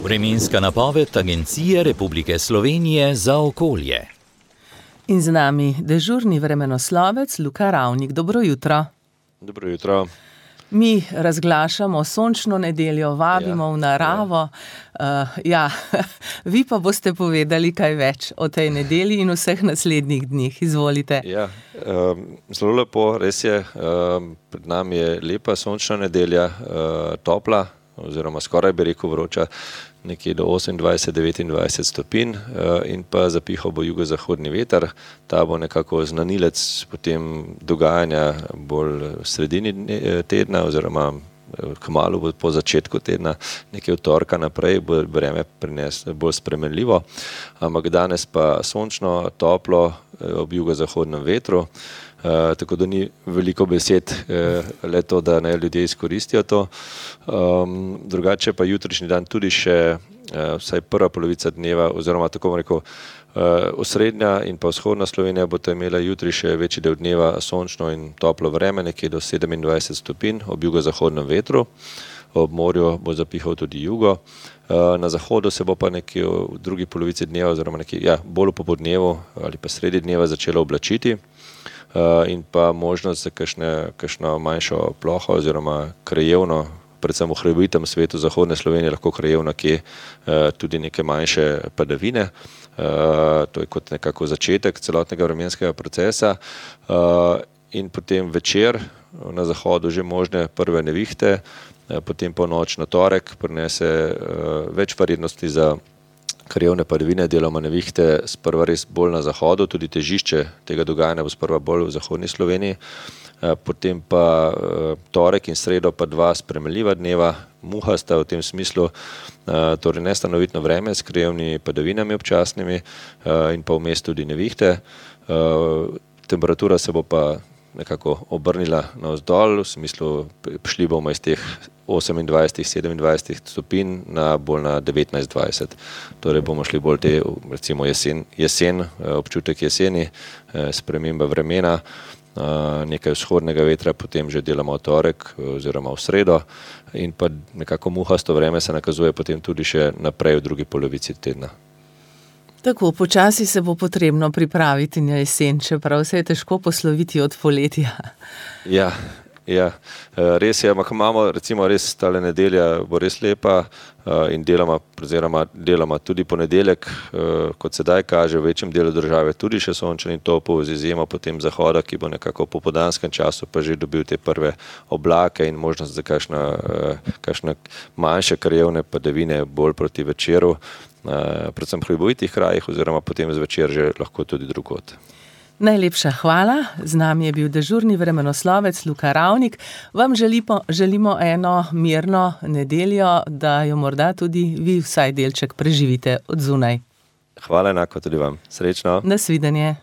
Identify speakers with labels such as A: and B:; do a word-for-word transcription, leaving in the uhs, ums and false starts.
A: Vremenska napoved Agencije Republike Slovenije za okolje.
B: In z nami dežurni vremenoslovec Luka Ravnik. Dobro jutro.
C: Dobro jutro.
B: Mi razglašamo sončno nedeljo, vabimo ja, v naravo. Ja. Uh, ja, vi pa boste povedali kaj več o tej nedelji in vseh naslednjih dneh. Izvolite.
C: Ja, um, zelo lepo, res je. Um, pred nami je lepa sončna nedelja, uh, topla, oziroma skoraj bi rekel vroča, nekje do osemindvajset do devetindvajset stopinj uh, in pa zapihal bo jugozahodni veter. Ta bo nekako znanilec potem dogajanja bolj v sredini tedna oziroma kmalu bo po začetku tedna, nekaj od torka naprej, bo vreme prines bolj spremenljivo, ampak danes pa sončno, toplo ob jugozahodnem vetru. Uh, tako da ni veliko besed, uh, le to, da naj ljudje izkoristijo to. Um, drugače pa jutrišnji dan tudi še uh, vsaj prva polovica dneva, oziroma tako bom rekel, uh, osrednja in pa vzhodna Slovenija bo to imela jutri še večji del dneva sončno in toplo vreme, nekje do sedemindvajset stopinj ob jugozahodnem vetru. Ob morju bo zapihal tudi jugo. Uh, na zahodu se bo pa nekje v drugi polovici dneva, oziroma nekje, ja, bolj v popodnevu ali pa sredi dneva začelo oblačiti. Uh, in pa možnost za kakšne, kakšno manjšo ploho oziroma krajevno, predvsem v hribitem svetu zahodne Slovenije, lahko krajevno kje uh, tudi neke manjše padavine. Uh, to je kot nekako začetek celotnega vremenskega procesa. Uh, in potem večer na zahodu že možne prve nevihte, uh, potem po noč na torek prinese uh, več verjetnosti za krajevne padavine, deloma nevihte, sprva res bolj na zahodu, tudi težišče tega dogajanja bo sprva bolj v zahodni Sloveniji, potem pa torek in sredo pa dva spremenljiva dneva, muhasta v tem smislu, torej nestanovitno vreme s krajevnimi padavinami občasnimi in pa vmes tudi nevihte. Temperatura se bo pa nekako obrnila navzdol, v smislu šli bomo iz teh osemindvajset do sedemindvajset stopinj na bolj na devetnajst dvajset. Torej bomo šli bolj te, recimo jesen, jesen občutek jeseni, sprememba vremena, nekaj vzhodnega vetra, potem že delamo v torek oziroma v sredo in pa nekako muhasto vreme se nakazuje potem tudi še naprej v drugi polovici tedna.
B: Tako, počasi se bo potrebno pripraviti na jesen, čeprav se je težko posloviti od poletja.
C: Ja, ja, res je, ampak imamo, recimo res tale nedelja bo res lepa in deloma, oziroma deloma tudi ponedeljek, kot sedaj kaže, v večjem delu države tudi še sončen in topel, z izjemo potem zahoda, ki bo nekako po popoldanskem času pa že dobil te prve oblake in možnost za kakšna, kakšna manjše krajevne padavine bolj proti večeru, predvsem v hribovitih krajih oziroma potem zvečer že lahko tudi drugod.
B: Najlepša hvala. Z nami je bil dežurni vremenoslovec Luka Ravnik. Vam želimo, želimo eno mirno nedeljo, da jo morda tudi vi vsaj delček preživite od zunaj.
C: Hvala enako tudi vam. Srečno.
B: Nasvidenje.